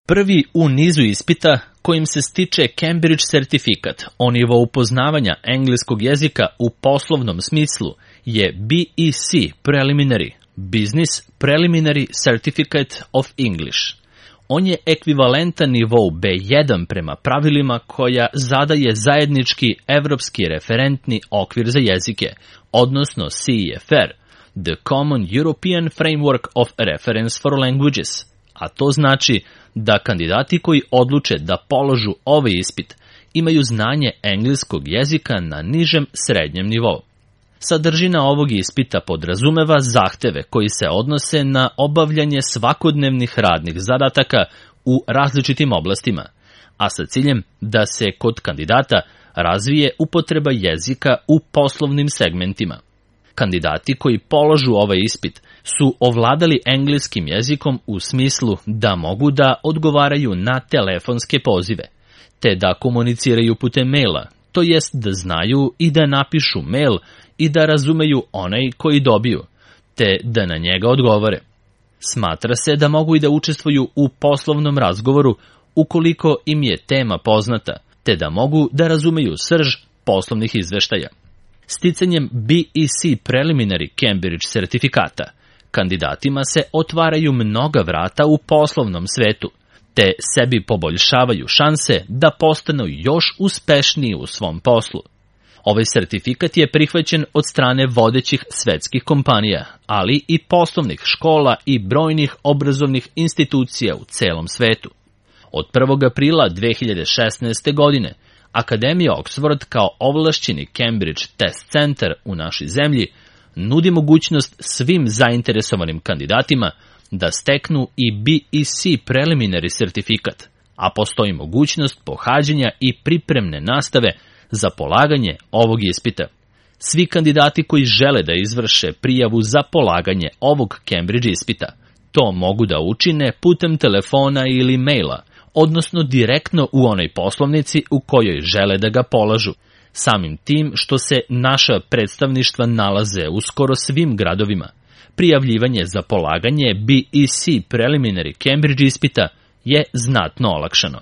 Prvi u nizu ispita kojim se stiče Cambridge sertifikat o nivou poznavanja engleskog jezika u poslovnom smislu je BEC Preliminary, Business Preliminary Certificate of English. On je ekvivalentan nivou B1 prema pravilima koja zadaje zajednički evropski referentni okvir za jezike, odnosno CEFR, The Common European Framework of Reference for Languages, a to znači da kandidati koji odluče da položu ovaj ispit imaju znanje engleskog jezika na nižem srednjem nivou. Sadržina ovog ispita podrazumeva zahteve koji se odnose na obavljanje svakodnevnih radnih zadataka u različitim oblastima, a sa ciljem da se kod kandidata razvije upotreba jezika u poslovnim segmentima. Kandidati koji polažu ovaj ispit su ovladali engleskim jezikom u smislu da mogu da odgovaraju na telefonske pozive, te da komuniciraju putem maila, to jest da znaju i da napišu mail i da razumeju onaj koji dobiju, te da na njega odgovore. Smatra se da mogu i da učestvuju u poslovnom razgovoru ukoliko im je tema poznata, te da mogu da razumeju srž poslovnih izveštaja. Sticanjem BEC Preliminary Cambridge sertifikata, kandidatima se otvaraju mnoga vrata u poslovnom svetu, te sebi poboljšavaju šanse da postanu još uspešniji u svom poslu. Ovaj sertifikat je prihvaćen od strane vodećih svetskih kompanija, ali i poslovnih škola i brojnih obrazovnih institucija u celom svetu. Od 1. aprila 2016. godine, Akademija Oxford kao ovlašćeni Cambridge Test Center u našoj zemlji nudi mogućnost svim zainteresovanim kandidatima da steknu i BEC Preliminary sertifikat, a postoji mogućnost pohađanja i pripremne nastave za polaganje ovog ispita. Svi kandidati koji žele da izvrše prijavu za polaganje ovog Cambridge ispita, to mogu da učine putem telefona ili maila, odnosno direktno u onoj poslovnici u kojoj žele da ga polažu. Samim tim što se naša predstavništva nalaze u skoro svim gradovima, prijavljivanje za polaganje BEC Preliminary Cambridge ispita je znatno olakšano.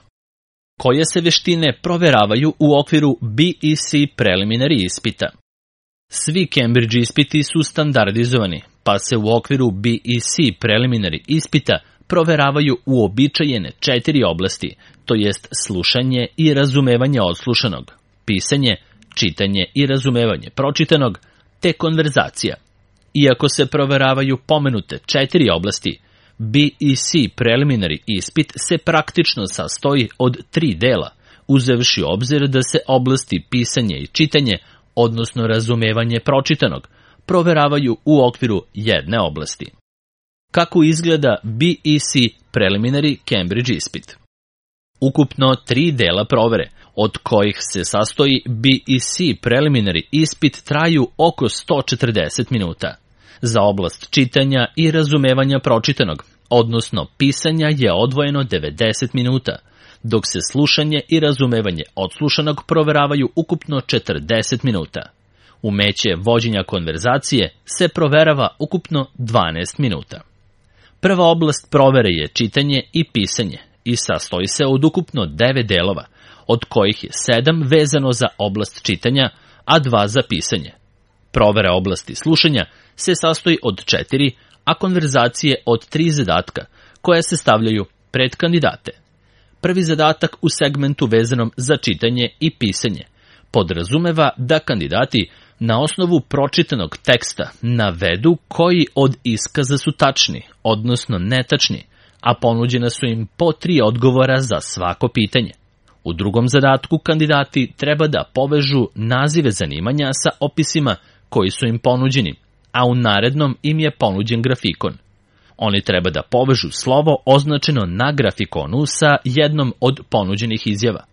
Koje se veštine proveravaju u okviru BEC Preliminary ispita? Svi Cambridge ispiti su standardizovani, pa se u okviru BEC Preliminary ispita proveravaju uobičajene 4 oblasti, to jest slušanje i razumevanje odslušanog, pisanje, čitanje i razumevanje pročitanog, te konverzacija. Iako se proveravaju pomenute 4 oblasti, BEC Preliminary ispit se praktično sastoji od 3 dela, uzevši obzir da se oblasti pisanje i čitanje, odnosno razumevanje pročitanog, proveravaju u okviru jedne oblasti. Kako izgleda BEC Preliminary Cambridge ispit? Ukupno 3 dela provere, od kojih se sastoji BEC Preliminary ispit, traju oko 140 minuta. Za oblast čitanja i razumevanja pročitanog, odnosno pisanja, je odvojeno 90 minuta, dok se slušanje i razumevanje odslušanog proveravaju ukupno 40 minuta. Umeće vođenja konverzacije se proverava ukupno 12 minuta. Prva oblast provere je čitanje i pisanje i sastoji se od ukupno 9 delova, od kojih je 7 vezano za oblast čitanja, a 2 za pisanje. Provera oblasti slušanja se sastoji od 4, a konverzacije od 3 zadatka, koja se stavljaju pred kandidate. Prvi zadatak u segmentu vezanom za čitanje i pisanje podrazumeva da kandidati na osnovu pročitanog teksta navedu koji od iskaza su tačni, odnosno netačni, a ponuđena su im po 3 odgovora za svako pitanje. U drugom zadatku kandidati treba da povežu nazive zanimanja sa opisima koji su im ponuđeni, a u narednom im je ponuđen grafikon. Oni treba da povežu slovo označeno na grafikonu sa jednom od ponuđenih izjava.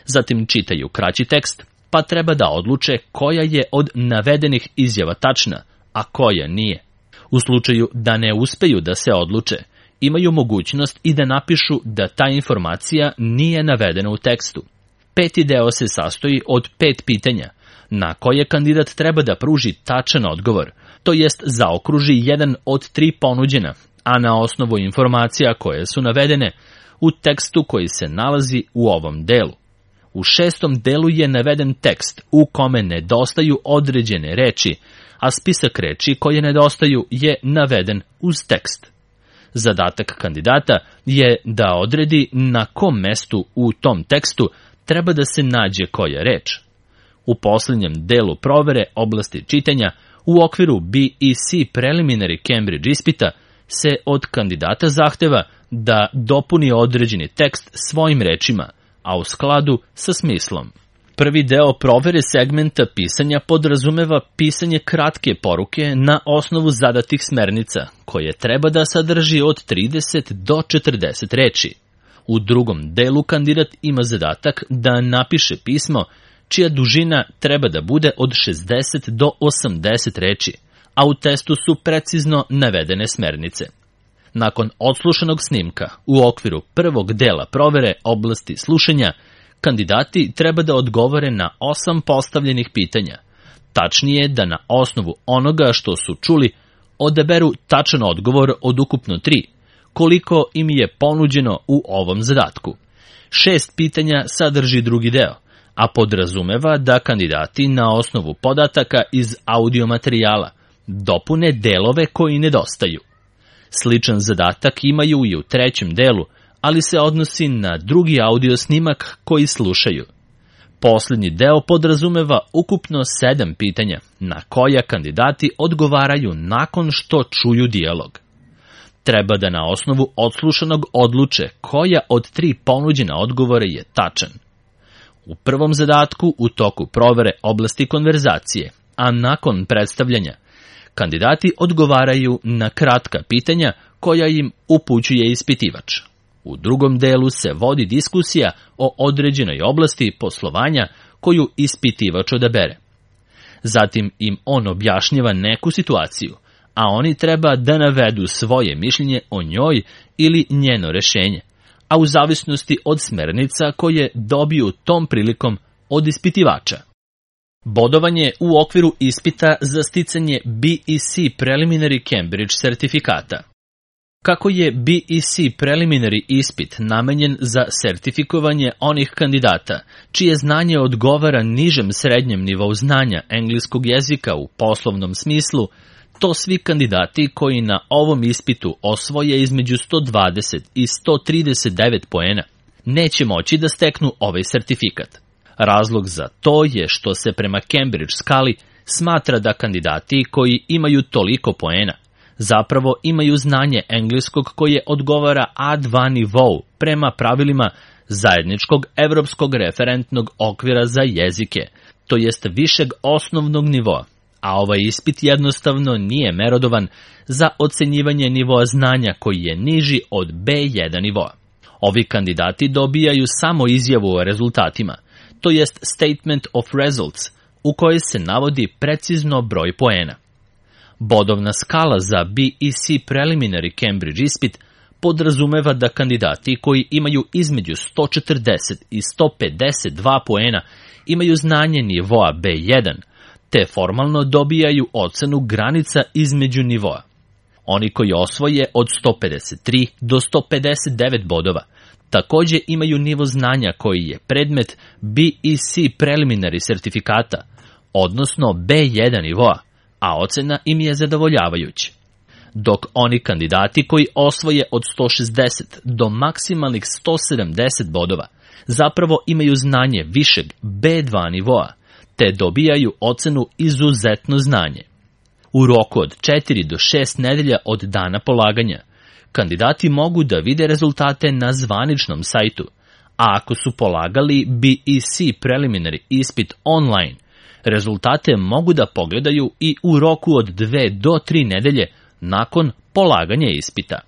Zatim čitaju kraći tekst, pa treba da odluče koja je od navedenih izjava tačna, a koja nije. U slučaju da ne uspeju da se odluče, imaju mogućnost i da napišu da ta informacija nije navedena u tekstu. Peti deo se sastoji od 5 pitanja, na koje kandidat treba da pruži tačan odgovor, to jest zaokruži jedan od 3 ponuđena, a na osnovu informacija koje su navedene, u tekstu koji se nalazi u ovom delu. U 6. delu je naveden tekst u kome nedostaju određene reči, a spisak reči koje nedostaju je naveden uz tekst. Zadatak kandidata je da odredi na kom mestu u tom tekstu treba da se nađe koja reč. U posljednjem delu provere oblasti čitanja u okviru BEC Preliminary Cambridge ispita se od kandidata zahteva da dopuni određeni tekst svojim rečima, a u skladu sa smislom. Prvi deo provere segmenta pisanja podrazumeva pisanje kratke poruke na osnovu zadatih smernica, koje treba da sadrži od 30 do 40 reči. U drugom delu kandidat ima zadatak da napiše pismo čija dužina treba da bude od 60 do 80 reči, a u testu su precizno navedene smernice. Nakon odslušanog snimka, u okviru prvog dela provere oblasti slušanja, kandidati treba da odgovore na 8 postavljenih pitanja. Tačnije da na osnovu onoga što su čuli odaberu tačan odgovor od ukupno 3, koliko im je ponuđeno u ovom zadatku. 6 pitanja sadrži drugi deo, a podrazumeva da kandidati na osnovu podataka iz audio materijala dopune delove koji nedostaju. Sličan zadatak imaju i u 3. delu, ali se odnosi na drugi audio snimak koji slušaju. Posljednji deo podrazumeva ukupno 7 pitanja, na koja kandidati odgovaraju nakon što čuju dijalog. Treba da na osnovu odslušanog odluče koja od 3 ponuđena odgovora je tačan. U prvom zadatku u toku provere oblasti konverzacije, a nakon predstavljanja, kandidati odgovaraju na kratka pitanja koja im upućuje ispitivač. U drugom delu se vodi diskusija o određenoj oblasti poslovanja koju ispitivač odabere. Zatim im on objašnjava neku situaciju, a oni treba da navedu svoje mišljenje o njoj ili njeno rešenje, a u zavisnosti od smernica koje dobiju tom prilikom od ispitivača. Bodovanje u okviru ispita za sticanje BEC Preliminary Cambridge sertifikata. Kako je BEC Preliminary ispit namenjen za sertifikovanje onih kandidata čije znanje odgovara nižem srednjem nivou znanja engleskog jezika u poslovnom smislu, to svi kandidati koji na ovom ispitu osvoje između 120 i 139 poena neće moći da steknu ovaj sertifikat. Razlog za to je što se prema Cambridge skali smatra da kandidati koji imaju toliko poena zapravo imaju znanje engleskog koje odgovara A2 nivou prema pravilima zajedničkog evropskog referentnog okvira za jezike, to jest višeg osnovnog nivoa, a ovaj ispit jednostavno nije merodovan za ocenjivanje nivoa znanja koji je niži od B1 nivoa. Ovi kandidati dobijaju samo izjavu o rezultatima, to jest Statement of Results, u kojoj se navodi precizno broj poena. Bodovna skala za BEC Preliminary Cambridge ispit podrazumeva da kandidati koji imaju između 140 i 152 poena imaju znanje nivoa B1, te formalno dobijaju ocenu granica između nivoa. Oni koji osvoje od 153 do 159 bodova takođe imaju nivo znanja koji je predmet BEC Preliminary sertifikata, odnosno B1 nivoa, a ocena im je zadovoljavajuća. Dok oni kandidati koji osvoje od 160 do maksimalnih 170 bodova zapravo imaju znanje višeg B2 nivoa, te dobijaju ocenu izuzetno znanje. U roku od 4 do 6 nedelja od dana polaganja, kandidati mogu da vide rezultate na zvaničnom sajtu, a ako su polagali BEC Preliminary ispit online, rezultate mogu da pogledaju i u roku od 2 do 3 nedelje nakon polaganja ispita.